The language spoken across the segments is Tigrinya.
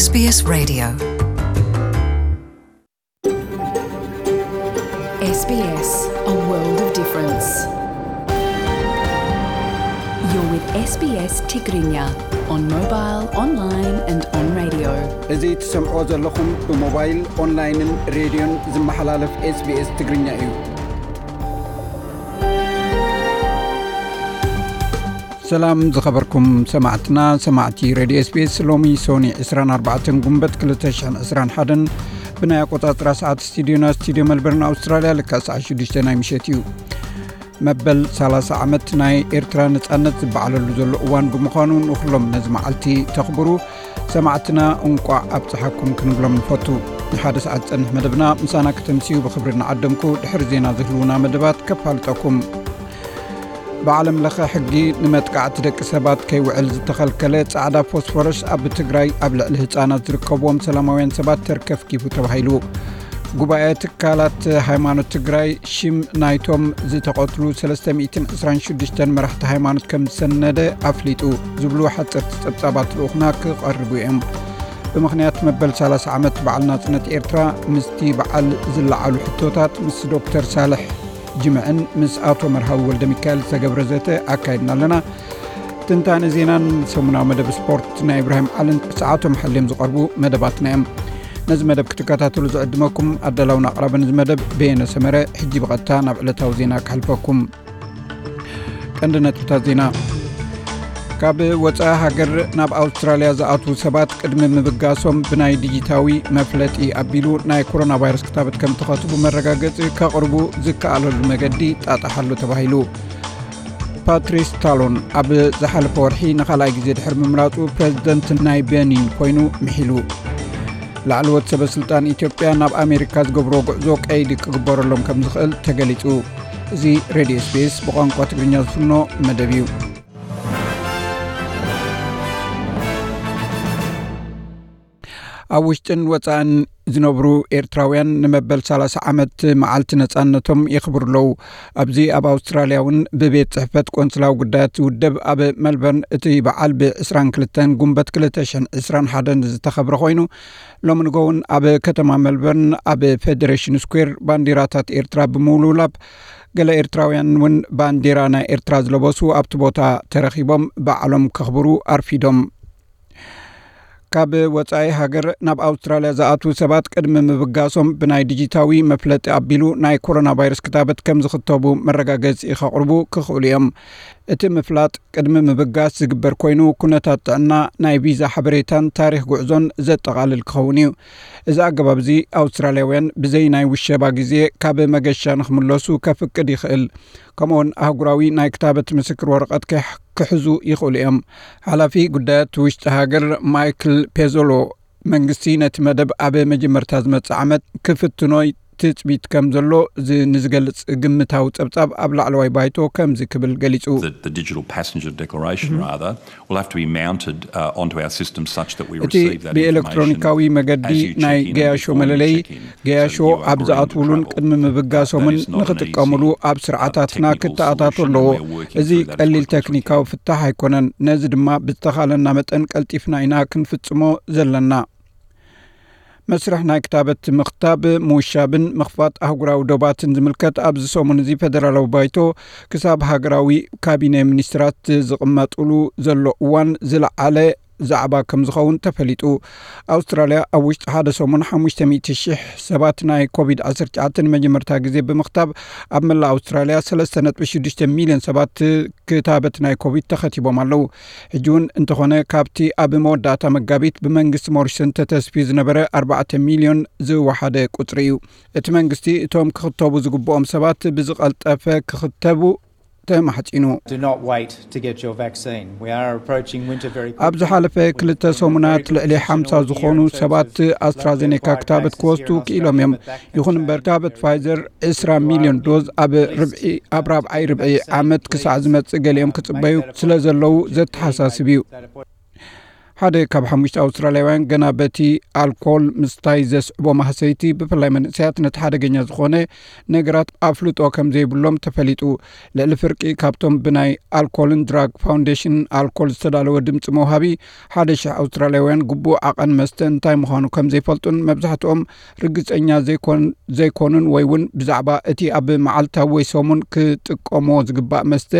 SBS Radio. SBS, a world of difference. You're with SBS Tigrinya on mobile, online and on radio. እዚ ትሰምዖ ዘለኹም ብሞባይል፣ ኦንላይንን ሬድዮን ዝመሓላለፍ SBS ትግርኛ እዩ። ሰላም ዝኸበርኩም ሰማዕትና፣ ሰማዕቲ ሬድዮ SBS። ሎሚ ሶኒ ዕስራን ኣርባዕተን ጉንበት ክልተ ሽሕን ዕስራን ሓደን ብናይ ኣቆጻጽራ ሰዓት ስቱዲዮና፣ ስቱዲዮ መልበርን ኣውስትራልያ፣ ልክዕ ሰዓት ሽዱሽተ ናይ ምሸት እዩ። መበል ሰላሳ ዓመት ናይ ኤርትራ ነጻነት ዝበዓለሉ ዘሎ እዋን ብምዃኑ፣ ንኹሎም ነዚ መዓልቲ ተኽብሩ ሰማዕትና እንቋዕ ኣብጽሓኩም ክንብሎም ንፈቱ። ንሓደ ሰዓት ዝጸንሕ መደብና ምሳና ከተምስዩ ብኽብሪ እናዓደምኩ፣ ድሕሪ ዜና ዝህልዉና መደባት ከፋልጠኩም። ብዓለም ለኸ ሕጊ ንመጥቃዕቲ ደቂ ሰባት ከይውዕል ዝተኸልከለ ጻዕዳ ፎስፎረስ ኣብ ትግራይ ኣብ ልዕሊ ህጻናት ዝርከብዎም ሰላማውያን ሰባት ተርከፍኪፉ ተባሂሉ። ጉባኤ ትካላት ሃይማኖት ትግራይ ሽም ናይቶም ዝተቐትሉ ሰለስተ ሚእትን ዕስራን ሽዱሽተን መራሕቲ ሃይማኖት ከም ዝሰነደ ኣፍሊጡ ዝብሉ ሓፀርቲ ፀብፃባት ልኡኽና ክቐርቡ እዮም። ብምኽንያት መበል ሰላሳ ዓመት በዓል ናፅነት ኤርትራ ምስቲ በዓል ዝለዓሉ ሕቶታት ምስ ዶክተር ሳልሕ ጅምዕን ምስ ኣቶ መርሃዊ ወልደ ሚካኤል ዝተገብረ ዘተ ኣካይድና ኣለና። ትንታነ ዜናን ሰሙናዊ መደብ ስፖርት ናይ ኢብራሂም ዓልን ሰዓቶም ሓልዮም ዝቐርቡ መደባትና እዮም። ነዚ መደብ ክትከታተሉ ዝዕድመኩም ኣዳላውን ኣቕራብን እዚ መደብ በየነ ሰመረ። ሕጂ ብቐጥታ ናብ ዕለታዊ ዜና ክሕልፈኩም። ቀንዲ ነጥብታት ዜና። ካብ ወጻኢ ሃገር ናብ ኣውስትራልያ ዝኣትዉ ሰባት ቅድሚ ምብጋሶም ብናይ ዲጂታዊ መፍለጢ ኣቢሉ ናይ ኮሮና ቫይረስ ክታበት ከም ተኸትቡ መረጋገጺ ከቕርቡ ዝከኣለሉ መገዲ ጣጣሓሉ ተባሂሉ። ፓትሪስ ታሎን ኣብ ዝሓለፈ ወርሒ ንኻልኣይ ግዜ ድሕሪ ምምራጹ ፕረዚደንት ናይ ቤኒን ኮይኑ ምሒሉ። ላዕለዎት ሰበ ስልጣን ኢትዮጵያ ናብ ኣሜሪካ ዝገብርዎ ጉዕዞ ቀይዲ ክግበረሎም ከም ዝኽእል ተገሊጹ። እዚ ሬድዮ SBS ብቋንቋ ትግርኛ ዝፍኖ መደብ እዩ። ኣብ ውሽጥን ወጻእን ዝነብሩ ኤርትራውያን ንመበል ሰላሳ ዓመት መዓልቲ ነጻነቶም የኽብሩ ኣለዉ። ኣብዚ ኣብ ኣውስትራልያ እውን ብቤት ጽሕፈት ቆንስላዊ ጉዳያት ዝውደብ ኣብ መልበርን እቲ በዓል ብ ዕስራን ክልተን ጉንበት ክልተ ሽሕን ዕስራን ሓደን ዝተኸብረ ኮይኑ፣ ሎሚ ንጎ እውን ኣብ ከተማ መልበርን ኣብ ፌደሬሽን ስኩዌር ባንዲራታት ኤርትራ ብምውልውላብ፣ ገለ ኤርትራውያን እውን ባንዲራ ናይ ኤርትራ ዝለበሱ ኣብቲ ቦታ ተረኺቦም በዓሎም ከኽብሩ ኣርፊዶም። ካብ ወጻኢ ሃገር ናብ ኣውስትራልያ ዝኣትዉ ሰባት ቅድሚ ምብጋሶም ብናይ ዲጂታዊ መፍለጢ ኣቢሉ ናይ ኮሮና ቫይረስ ክታበት ከም ዝኽተቡ መረጋገጺ ከቕርቡ ክኽእሉ እዮም። እቲ ምፍላጥ ቅድሚ ምብጋስ ዝግበር ኮይኑ፣ ኩነታት ጥዕና፣ ናይ ቪዛ ሓበሬታን ታሪኽ ጉዕዞን ዘጠቓልል ክኸውን እዩ። እዚ ኣገባብ እዚ ኣውስትራልያውያን ብዘይ ናይ ውሸባ ግዜ ካብ መገሻ ንኽምለሱ ከፍቅድ ይኽእል። ከምኡውን ኣህጉራዊ ናይ ክታበት ምስክር ወረቐት ክሕ-፣ ክሕዙ ይኽእሉ እዮም። ሓላፊ ጉዳያት ውሽጢ ሃገር ማይክል ፔዞሎ፣ መንግስቲ ነቲ መደብ ኣብ መጀመርታ ዝመጽእ ዓመት ክፍትኖ ትጽቢት ከም ዘሎ ዝ-፣ ንዝገልጽ ግምታዊ ጸብጻብ ኣብ ላዕለዋይ ባይቶ ከምዚ ክብል ገሊጹ። That the digital passenger declaration, rather, will have to be mounted, uh, onto our system such that we እቲ receive that ብኤሌክትሮኒካዊ መገዲ ናይ ገያሾ መለለይ ገያሾ ኣብ ዝኣትውሉን ቅድሚ ምብጋሶምን ንኽጥቀምሉ ኣብ ስርዓታትና ክተኣታቶ ኣለዎ። እዚ ቀሊል ቴክኒካዊ ፍታሕ ኣይኮነን። ነዚ ድማ ብዝተኻለና መጠን ቀልጢፍና ኢና ክንፍጽሞ ዘለና። መስርሕ ናይ ክታበት ምኽታብ፣ ምውሻብን ምኽፋት ኣህጉራዊ ዶባትን ዝምልከት ኣብዚ ሰሙን እዚ ፌደራላዊ ባይቶ ክሳብ ሃገራዊ ካቢነ ሚኒስትራት ዝቕመጥሉ ዘሎ እዋን ዝለዓለ ዛዕባ ከም ዝኸውን ተፈሊጡ። ኣውስትራልያ ኣብ ውሽጢ ሓደ ሰሙን ሓሙሽተ ሚእቲ ሽሕ ሰባት ናይ ኮቪድ ዓሰርተ ትሽዓተ ንመጀመርታ ግዜ ብምኽታብ ኣብ መላእ ኣውስትራልያ ሰለስተ ነጥቢ ሽዱሽተ ሚልዮን ሰባት ክታበት ናይ ኮቪድ ተኸቲቦም ኣለዉ። ሕጂ እውን እንተኾነ ካብቲ ኣብ መወዳእታ መጋቢት ብመንግስቲ ሞሪሰን ተተስፍዩ ዝነበረ ኣርባዕተ ሚልዮን ዝወሓደ ቁጽሪ እዩ። እቲ መንግስቲ እቶም ክኽተቡ ዝግብኦም ሰባት ብዝቐልጠፈ ክኽተቡ ተማሕጺኑ። Do not wait to get your vaccine. We are approaching winter very quickly. ኣብ ዝሓለፈ ክልተ ሰሙናት ልዕሊ ሓምሳ ዝኾኑ ሰባት ኣስትራዜኔካ ክታበት ክወስዱ ክኢሎም እዮም። ይኹን እምበር ክታበት ፋይዘር ዕስራ ሚልዮን ዶዝ ኣብ ርብዒ፣ ኣብ ራብዓይ ርብዒ ዓመት ክሳዕ ዝመጽእ ገሊኦም ክጽበዩ ስለ ዘለዉ ዘተሓሳስብ እዩ። ሓደ ካብ ሓሙሽተ ኣውስትራልያውያን ገና በቲ ኣልኮል ምስታይ ዘስዕቦ ማህሰይቲ፣ ብፍላይ መንእሰያት፣ ነቲ ሓደገኛ ዝኾነ ነገራት ኣፍልጦ ከም ዘይብሎም ተፈሊጡ። ልዕሊ ፍርቂ ካብቶም ብናይ ኣልኮልን ድራግ ፋውንዴሽን ኣልኮል ዝተዳለወ ድምፂ መውሃቢ ሓደ ሽሕ ኣውስትራልያውያን ግቡእ ዓቐን መስተ እንታይ ምዃኑ ከም ዘይፈልጡን መብዛሕትኦም ርግፀኛ ዘይኮን-፣ ዘይኮኑን ወይ እውን ብዛዕባ እቲ ኣብ መዓልታዊ ወይ ሰሙን ክጥቀሞ ዝግባእ መስተ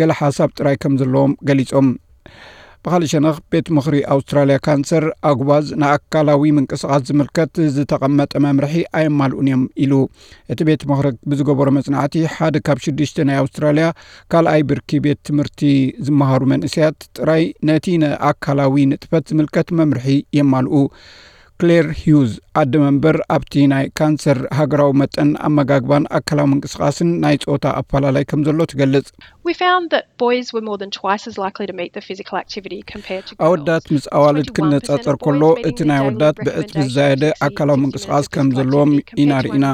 ገለ ሓሳብ ጥራይ ከም ዘለዎም ገሊጾም። ብኻልእ ሸነኽ፣ ቤት ምኽሪ ኣውስትራልያ ካንሰር ኣጉባዝ ንኣካላዊ ምንቅስቓስ ዝምልከት ዝተቐመጠ መምርሒ ኣየማልኡን እዮም ኢሉ። እቲ ቤት ምኽሪ ብዝገበሮ መጽናዕቲ፣ ሓደ ካብ ሽዱሽተ ናይ ኣውስትራልያ ካልኣይ ብርኪ ቤት ትምህርቲ ዝመሃሩ መንእሰያት ጥራይ ነቲ ንኣካላዊ ንጥፈት ዝምልከት መምርሒ የማልኡ። ክሌር ሂውዝ፣ ኣደ መንበር ኣብቲ ናይ ካንሰር ሃገራዊ መጠን ኣመጋግባን ኣካላዊ ምንቅስቓስን ናይ ጾታ ኣፈላላይ ከም ዘሎ ትገልጽ። We found that boys were more than twice as likely to meet the physical activity compared to girls. ኣወዳት ምስ ኣዋልድ ክነጻጸር ከሎ፣ እቲ ናይ ኣወዳት ብዕጽፊ ዝዛየደ ኣካላዊ ምንቅስቓስ ከም ዘለዎም ኢና ርኢና።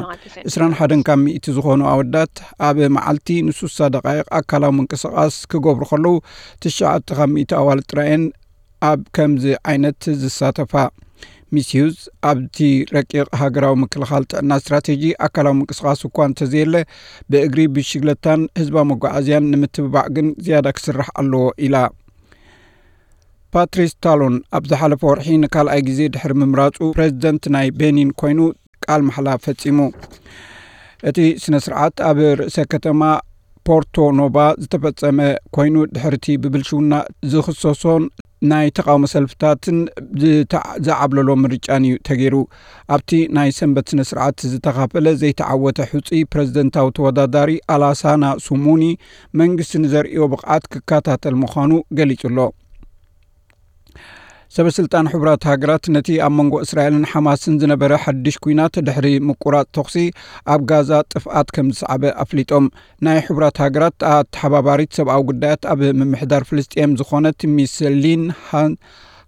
ዕስራን ሓደን ካብ ሚእቲ ዝኾኑ ኣወዳት ኣብ መዓልቲ ንስሳ ደቓይቕ ኣካላዊ ምንቅስቓስ ክገብሩ ከለዉ፣ ትሽዓተ ካብ ሚእቲ ኣዋልድ ጥራየን ኣብ ከምዚ ዓይነት ዝሳተፋ። ሚስ ሂውዝ፣ ኣብቲ ረቂቕ ሃገራዊ ምክልኻል ጥዕና ስትራቴጂ፣ ኣካላዊ ምንቅስቓስ እኳ እንተዘየለ፣ ብእግሪ፣ ብሽግለታን ህዝባዊ መጓዓዝያን ንምትብባዕ ግን ዝያዳ ክስራሕ ኣለዎ ኢላ። ፓትሪስ ታሎን ኣብ ዝሓለፈ ወርሒ ንካልኣይ ግዜ ድሕሪ ምምራጹ ፕሬዚደንት ናይ ቤኒን ኮይኑ ቃል ማሕላ ፈጺሙ። እቲ ስነ ስርዓት ኣብ ርእሰ ከተማ ፖርቶ ኖባ ዝተፈጸመ ኮይኑ፣ ድሕርቲ ብብልሽውና ዝኽሰሶን ናይ ተቓውሞ ሰልፍታትን ዝዓብለሎ ምርጫን እዩ ተገይሩ። ኣብቲ ናይ ሰንበት ስነ ስርዓት ዝተኻፈለ ዘይተዓወተ ሕጹይ ፕሬዚደንታዊ ተወዳዳሪ ኣላሳና ሱሙኒ፣ መንግስቲ ንዘርእዮ ብቕዓት ክከታተል ምዃኑ ገሊጹ ኣሎ። ሰበ ስልጣን ሕቡራት ሃገራት ነቲ ኣብ መንጎ እስራኤልን ሓማስን ዝነበረ ሓድሽ ኲናት ድሕሪ ምቁራጽ ተኹሲ ኣብ ጋዛ ጥፍኣት ከም ዝሰዓበ ኣፍሊጦም። ናይ ሕቡራት ሃገራት ኣተሓባባሪት ሰብኣዊ ጉዳያት ኣብ ምምሕዳር ፍልስጤም ዝኾነት ሚስ ሊን ሃ-፣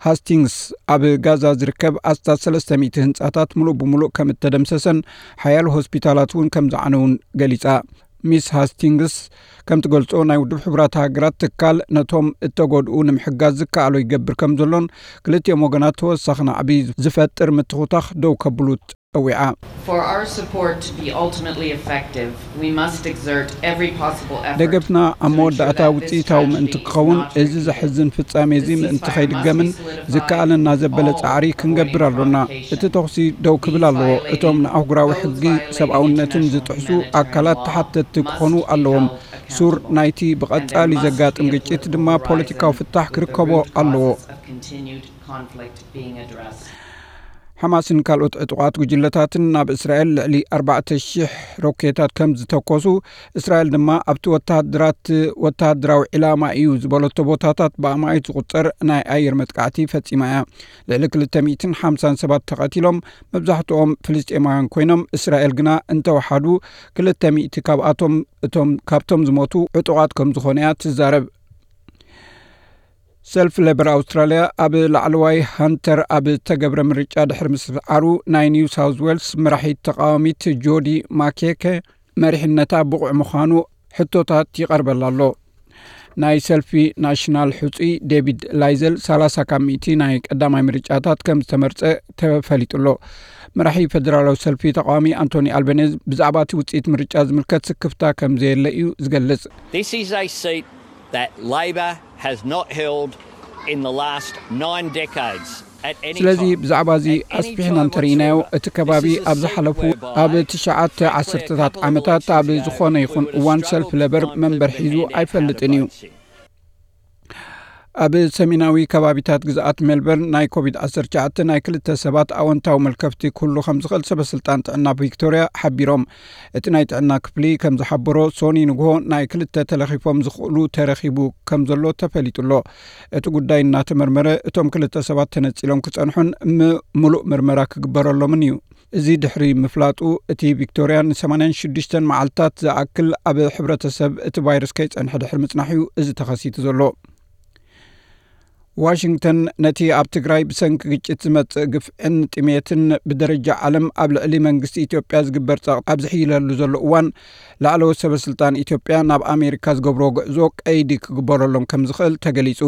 ሃስቲንግስ፣ ኣብ ጋዛ ዝርከብ ኣስታት ሰለስተ ሚእቲ ህንጻታት ምሉእ ብምሉእ ከም እተደምሰሰን ሓያሎ ሆስፒታላት እውን ከም ዝዓነውን ገሊጻ። ሚስ ሃስቲንግስ ከም ትገልጾ፣ ናይ ውድብ ሕቡራት ሃገራት ትካል ነቶም እተጎድኡ ንምሕጋዝ ዝከኣሎ ይገብር ከም ዘሎን፣ ክልቲኦም ወገናት ተወሳኺ ናዕቢ ዝፈጥር ምትኹታኽ ደው ከብሉ ጸዊዓ። For our support to be ultimately effective, we must exert every possible effort ደገፍና ኣብ መወዳእታ ውጽኢታዊ ምእንቲ ክኸውን፣ እዚ ዘሕዝን ፍጻሜ እዚ ምእንቲ ከይድገምን ዝከኣለና ዘበለ ጻዕሪ ክንገብር ኣሎና። እቲ ተኹሲ ደው ክብል ኣለዎ። እቶም ንኣህጉራዊ ሕጊ ሰብኣውነትን ዝጥሕሱ ኣካላት ተሓተትቲ ክኾኑ ኣለዎም። ሱር ናይቲ ብቐጻሊ ዘጋጥም ግጭት ድማ ፖለቲካዊ ፍታሕ ክርከቦ ኣለዎ። ሓማስን ካልኦት ዕጡቓት ጉጅለታትን ናብ እስራኤል ልዕሊ ኣርባዕተ ሽሕ ሮኬታት ከም ዝተኮሱ፣ እስራኤል ድማ ኣብቲ ወተሃደራት፣ ወተሃደራዊ ዒላማ እዩ ዝበለቶ ቦታታት ብኣማኢት ዝቑጸር ናይ ኣየር መጥቃዕቲ ፈጺማ እያ። ልዕሊ ክልተ ሚእትን ሓምሳን ሰባት ተቐቲሎም፣ መብዛሕትኦም ፍልስጤማውያን ኮይኖም፣ እስራኤል ግና እንተወሓዱ ክልተ ሚእቲ ካብኣቶም፣ እቶም፣ ካብቶም ዝሞቱ ዕጡቓት ከም ዝኾኑ እያ ትዛረብ። ሰልፊ ሌበር ኣውስትራልያ ኣብ ላዕለዋይ ሃንተር ኣብ ዝተገብረ ምርጫ ድሕሪ ምስዓሩ፣ ናይ ኒው ሳውዝ ዌልስ መራሒት ተቃዋሚት ጆዲ ማኬከ መሪሕነታ ብቑዕ ምዃኑ ሕቶታት ይቐርበላ ኣሎ። ናይ ሰልፊ ናሽናል ሕጹይ ዴቪድ ላይዘል ሰላሳ ካብ ሚእቲ ናይ ቀዳማይ ምርጫታት ከም ዝተመርጸ ተፈሊጡ ኣሎ። መራሒ ፌደራላዊ ሰልፊ ተቃዋሚ ኣንቶኒ ኣልበኔዝ ብዛዕባ እቲ ውጽኢት ምርጫ ዝምልከት ስክፍታ ከም ዘየለ እዩ ዝገልጽ። This is a seat that Labor has not held in the last nine decades. At any ስለዚ time, ብዛዕባ እዚ at any ኣስፊሕና time እንተርኢናዮ፣ whatsoever, እቲ ከባቢ this is a ኣብ seat ዝሓለፉ whereby ኣብ ትሽዓተ ዓሰርተታት ዓመታት ኣብ ዝኾነ ይኹን እዋን ሰልፊ ሌበር መንበር ሒዙ ኣይፈልጥን እዩ። ኣብ ሰሜናዊ ከባቢታት ግዝኣት ሜልበርን ናይ ኮቪድ ዓሰርተ ትሽዓተ ናይ ክልተ ሰባት ኣወንታዊ መልከፍቲ ክህሉ ከም ዝኽእል ሰበ ስልጣን ጥዕና ቪክቶርያ ሓቢሮም። እቲ ናይ ጥዕና ክፍሊ ከም ዝሓበሮ፣ ሶኒ ንግሆ ናይ ክልተ ተለኺፎም ዝኽእሉ ተረኺቡ ከም ዘሎ ተፈሊጡ ኣሎ። እቲ ጉዳይ እናተመርመረ፣ እቶም ክልተ ሰባት ተነጺሎም ክጸንሑን ም-፣ ምሉእ ምርመራ ክግበረሎምን እዩ። እዚ ድሕሪ ምፍላጡ፣ እቲ ቪክቶርያ ንሰማንያን ሽዱሽተን መዓልታት ዝኣክል ኣብ ሕብረተሰብ እቲ ቫይረስ ከይጸንሐ ድሕሪ ምጽናሕ እዩ እዚ ተኸሲቱ ዘሎ። ዋሽንግተን ነቲ ኣብ ትግራይ ብሰንኪ ግጭት ዝመጽእ ግፍዕን ጥሜትን ብደረጃ ዓለም ኣብ ልዕሊ መንግስቲ ኢትዮጵያ ዝግበር ጸቕጢ ኣብ ዝሕይለሉ ዘሎ እዋን፣ ላዕለዎት ሰበ ስልጣን ኢትዮጵያ ናብ ኣሜሪካ ዝገብርዎ ጉዕዞ ቀይዲ ክግበረሎም ከም ዝኽእል ተገሊጹ።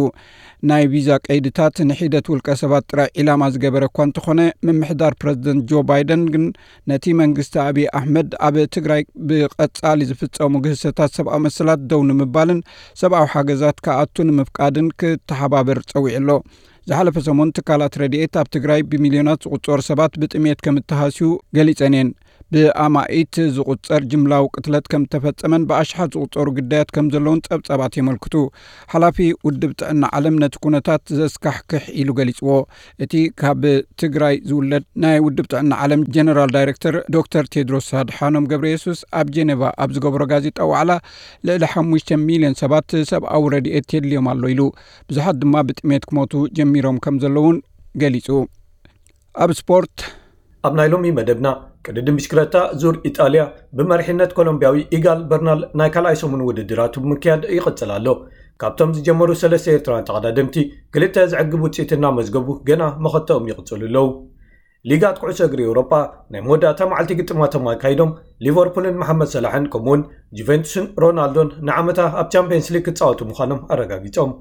ናይ ቪዛ ቀይድታት ንሒደት ውልቀ ሰባት ጥራይ ዒላማ ዝገበረ እኳ እንተኾነ፣ ምምሕዳር ፕረዚደንት ጆ ባይደን ግን ነቲ መንግስቲ ኣብይ ኣሕመድ ኣብ ትግራይ ብቐጻሊ ዝፍጸሙ ግህሰታት ሰብኣዊ መሰላት ደው ንምባልን ሰብኣዊ ሓገዛት ክኣቱ ንምፍቃድን ክተሓባበር ጸዊዑ ኣሎ። ዝሓለፈ ሰሙን ትካላት ረድኤት ኣብ ትግራይ ብሚልዮናት ዝቑጸሩ ሰባት ብጥሜት ከም እተሃስዩ ገሊጸን እየን። ብኣማኢት ዝቑጸር ጅምላዊ ቅትለት ከም እተፈጸመን ብኣሽሓት ዝቑጸሩ ግዳያት ከም ዘለውን ጸብጻባት የመልክቱ። ሓላፊ ውድብ ጥዕና ዓለም ነቲ ኩነታት ዘስካሕክሕ ኢሉ ገሊጽዎ። እቲ ካብ ትግራይ ዝውለድ ናይ ውድብ ጥዕና ዓለም ጀነራል ዳይሬክተር ዶክተር ቴድሮስ ኣድሓኖም ገብረ የሱስ ኣብ ጄኔቫ ኣብ ዝገበሮ ጋዜጣ ዋዕላ፣ ልዕሊ ሓሙሽተ ሚልዮን ሰባት ሰብኣዊ ረድኤት የድልዮም ኣሎ ኢሉ። ብዙሓት ድማ ብጥሜት ክሞቱ ጀሚሮም ከም ዘለውን ገሊጹ። ኣብ ስፖርት። ኣብ ናይ ሎሚ መደብና፣ ቅድድም ብሽክለታ ዙር ኢጣልያ ብመሪሕነት ኮሎምቢያዊ ኢጋል በርናል ናይ ካልኣይ ሰሙን ውድድራቱ ብምክያድ ይቕጽል ኣሎ። ካብቶም ዝጀመሩ ሰለስተ ኤርትራውያን ተቐዳደምቲ፣ ክልተ ዘዕግብ ውጽኢት እናመዝገቡ ገና መኸተኦም ይቕጽሉ ኣለዉ። ሊጋት ኩዕሶ እግሪ ኤውሮጳ ናይ መወዳእታ መዓልቲ ግጥማቶም ኣካይዶም፣ ሊቨርፑልን መሓመድ ሰላሕን ከምኡውን ጁቬንቱስን ሮናልዶን ንዓመታ ኣብ ቻምፒየንስ ሊግ ክጻወቱ ምዃኖም ኣረጋጊጾም።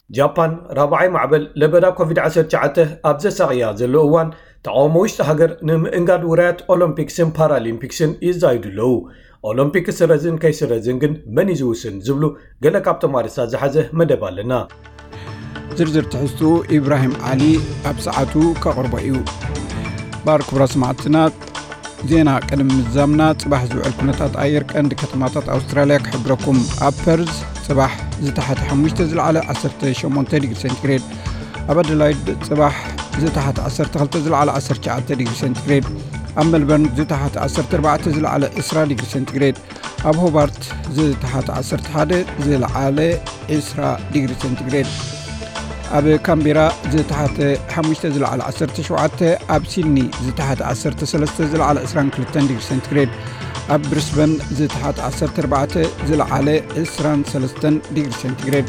ጃፓን ራብዓይ ማዕበል ለበዳ ኮቪድ ዓሰርተ ትሽዓተ ኣብ ዘሳቕያ ዘሎ እዋን፣ ተቓውሞ ውሽጢ ሃገር ንምእንጋድ ውራያት ኦሎምፒክስን ፓራሊምፒክስን ይዛይዱ ኣለዉ። ኦሎምፒክ ክስረዝን ከይስረዝን ግን መን እዩ ዝውስን ዝብሉ ገለ ካብቶም ኣርእስታት ዝሓዘ መደብ ኣለና። ዝርዝር ትሕዝትኡ ኢብራሂም ዓሊ ኣብ ሰዓቱ ከቕርቦ እዩ። ባር ክቡራት ሰማዕትና፣ ዜና ቅድሚ ምዛምና፣ ጽባሕ ዝውዕል ኩነታት ኣየር ቀንዲ ከተማታት ኣውስትራልያ ክሕብረኩም። ኣብ ፐርዝ ጽባሕ ዝተሓተ ሓሙሽተ፣ ዝለዓለ ዓሰርተ ሸሞንተ ዲግሪ ሴንቲግሬድ። ኣብ ኣደላይድ ጽባሕ ዝተሓተ ዓሰርተ ክልተ፣ ዝለዓለ ዓሰርተ ትሽዓተ ዲግሪ ሴንቲግሬድ። ኣብ ሜልበርን ዝተሓተ ዓሰርተ ኣርባዕተ፣ ዝለዓለ ዕስራ ዲግሪ ሴንቲግሬድ። ኣብ ሆባርት ዝተሓተ ዓሰርተ ሓደ፣ ዝለዓለ ዕስራ ዲግሪ ሴንቲግሬድ። ኣብ ካምቤራ ዝተሓተ ሓሙሽተ፣ ዝለዓለ ዓሰርተ ሸውዓተ። ኣብ ሲድኒ ዝተሓተ ዓሰርተ ሰለስተ፣ ዝለዓለ ዕስራን ክልተን ዲግሪ ሴንቲግሬድ። ኣብ ብሪስበን ዝተሓተ ዓሰርተ ኣርባዕተ፣ ዝለዓለ ዕስራን ሰለስተን ዲግሪ ሴንቲግሬድ።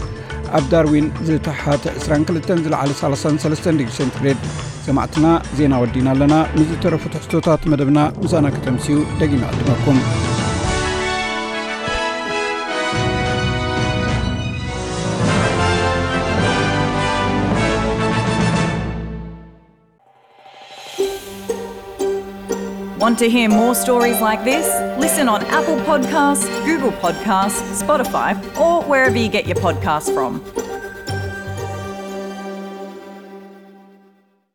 ኣብ ዳርዊን ዝተሓተ ዕስራን ክልተን፣ ዝለዓለ ሰላሳን ሰለስተን ዲግሪ ሴንቲግሬድ። ሰማዕትና፣ ዜና ወዲና ኣለና። ምስ ዝተረፉ ትሕዝቶታት መደብና ምሳና ከተምስዩ ደጊመ ዕድመኩም። Want to hear more stories like this? Listen on Apple Podcasts, Google Podcasts, Spotify, or wherever you get your podcasts from.